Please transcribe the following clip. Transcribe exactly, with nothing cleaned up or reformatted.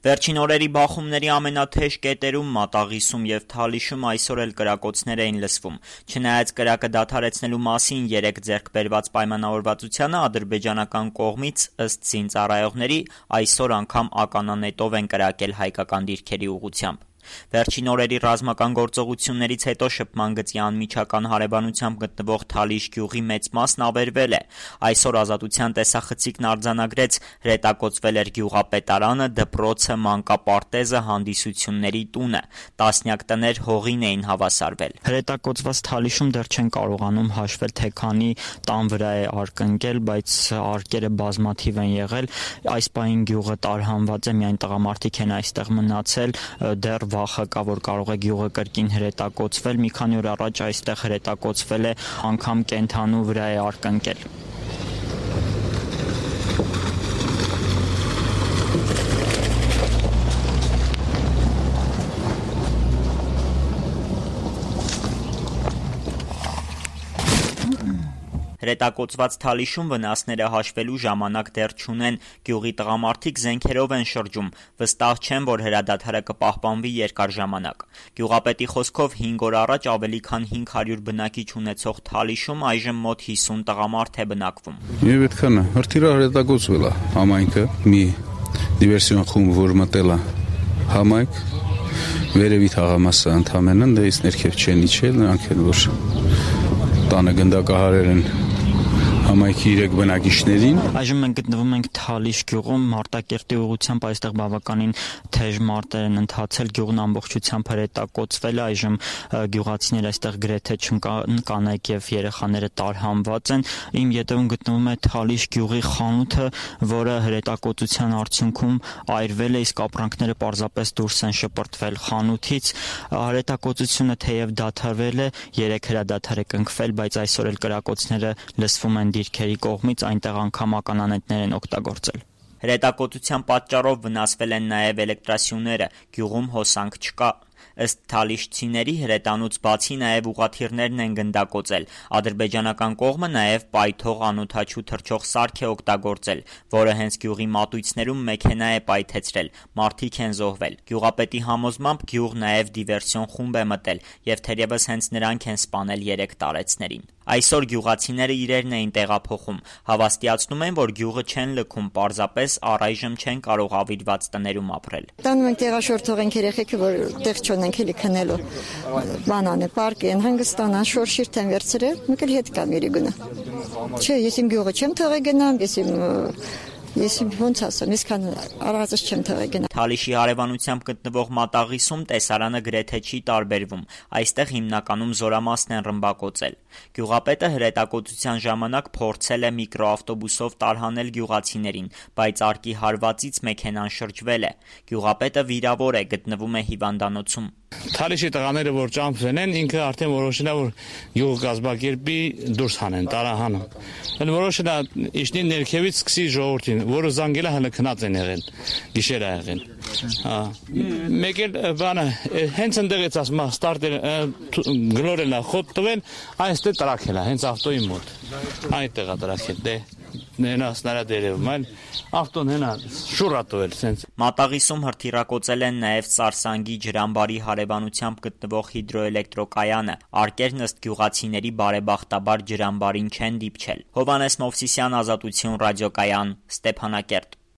Վերջին օրերի բախումների ամենաթեժ կետերում Մատաղիսում և Թալիշում այսօր էլ կրակոցներ էին լսվում։ Չնայած կրակը դադարեցնելու մասին երեկ ձեռք բերված պայմանավորվածությանը ադրբեջանական կողմից, ըստ զինծառայողների, այսօր անգամ ականանետով են կրակել հայկական դիրքերի ուղղությամբ։ Վերջին օրերի ռազմական գործողություններից հետո շփման գծի անմիջական հարևանությամբ գտնվող Թալիշ գյուղի մեծ մասն ավերվել է։ Այսօր Ազատության տեսախցիկն արձանագրեց՝ հրետակոծվել էր գյուղապետարանը, դպրոցը, մանկապարտեզը, հանդիսությունների տունը։ Տասնյակ տներ հողին էին հավասարվել։ Հրետակոծված Թալիշում դեռ չեն կարողանում հաշվել, թե քանի տան վրա է արկ ընկել, բայց արկերը բազմաթիվ են եղել։ Այս պահին գյուղը տարհանված է, միայն տղամարդիկ են այստեղ մնացել, դեռ վախը կա, որ կարող է գյուղը կրկին հրետակոծվել։ Մի քանի օր առաջ այստեղ հրետակոծվել է, անգամ կենդանու վրա է արկ ընկել։ Հրետակոծված Թալիշում վնասները հաշվելու ժամանակ դեռ չունեն։ Գյուղի տղամարդիկ զենքերով են շրջում, վստահ չեն, որ հրադադարը կպահպանվի երկար ժամանակ։ Գյուղապետի խոսքով հինգ օր առաջ ավելի քան հինգ հարյուր բնակիչ ունեցող Թալիշում այժմ մոտ հիսուն տղամարդ է բնակվում։ Եվ այդքանը հրթիռը հրետակոծվել է համայնքը, մի դիվերսիոն խումբ, որ մտել է համայնք, վերևի թաղամասը ընդհանրեն, դեից ներքև չեն իջել, նրանք են, որ տանը գնդակահարել են համայնքի երեք բնակիչներին։ Այժմ մենք գտնվում ենք Թալիշ գյուղում, Մարտակերտի ուղղությամբ այստեղ բավականին թեժ մարտեր են ընթացել, գյուղն ամբողջությամբ հրետակոծվել է, այժմ գյուղացիներ այստեղ գրեթե չկան, կանայք եւ երեխաները տարհանված են։ Իմ ետևում գտնվում է Թալիշ գյուղի խանութը, որը հրետակոծության արդյունքում այրվել է, իսկ ապրանքները պարզապես դուրս են շպրտվել խանութից։ Հրետակոծությունը թեև դադարվել է, երեք հրադադար է կնքվել, բայց այսօր էլ կրակոցները լսվում են դիրքերի կողմից, այնտեղ անգամ ականանետներ են օգտագործել։ Հրետակոծության պատճառով վնասվել են նաև էլեկտրասյուները, գյուղում հոսանք չկա։ Ըստ թալիշցիների, հրետանուց բացի նաև ուղղաթիռներն են գնդակոծել։ Ադրբեջանական կողմը նաև պայթող անօդաչու թռչող սարք է օգտագործել, որը հենց գյուղի մատույցներում մեքենա է պայթեցրել, մարդիկ են զոհվել։ Գյուղապետի համոզմամբ գյուղ նաև դիվերսիոն խումբ է մտել, եւ թերևս հենց նրանք են սպանել երեք տարեցներին։ Այսօր գյուղացիները իրերն էին տեղափոխում, հավաստիացնում են, որ գյուղը չեն լքում, պարզապես առայժմ չեն կարող ավիրված տներում ապրել։ Տանում ենք տեղաշորթող ենք երեխեքը, որ տեղ չունենք էլի քնելու։ Բանանը, պարկը են հանգստանան, շորշիրտ են վերցրել, մեկ էլ հետ կամ իրի գնա։ Չէ, ես իմ գյուղը չեմ թողել գնամ, ես իմ Ես ոնց ասեմ, այսքան առածս չեմ թողել գնալ։ Թալիշի հարևանությամբ գտնվող Մատաղիսում տեսարանը գրեթե չի տարբերվում։ Այստեղ հիմնականում զորամասն են ռմբակոծել։ Գյուղապետը հրետակոծության ժամանակ փորձել է միկրոավտոբուսով տարհանել գյուղացիներին, բայց արկի հարվածից մեքենան շրջվել է։ Գյուղապետը վիրավոր է, գտնվում է հիվանդանոցում։ Թալիշի տղաները, որ ճամփեն են, ինքը արդեն որոշել է, որ գյուղ կազմակերպի դուրս հանեն, տարահանում։ Են որոշել է իշնի ներքևից սկսի ժողովրդին, որը զանգել է հələ քնած են եղել, գիշեր է եղել։ Հա։ Մեկ էլ բանը հենց ընդեղից ասում է ստարտել գլորել է, խոտ տվել, այստեղ տրաքել է, հենց ավտոյի մոտ։ Այդտեղ է տրաքել, դե նենա սնարադերևում, այլ ավտոն հենա շուրատովել սենց։ Մատաղիսում հրթիռակոծել են նաև Սարսանգի ջրամբարի հարևանությամբ գտնվող հիդրոէլեկտրոկայանը։ Արկերն ըստ գյուղացիների բարեբախտաբար ջրամբարին չեն դիպչել։ Հովհաննես Մովսիսյան, Ազատություն ռադիոկայան, Ստեփանակերտ։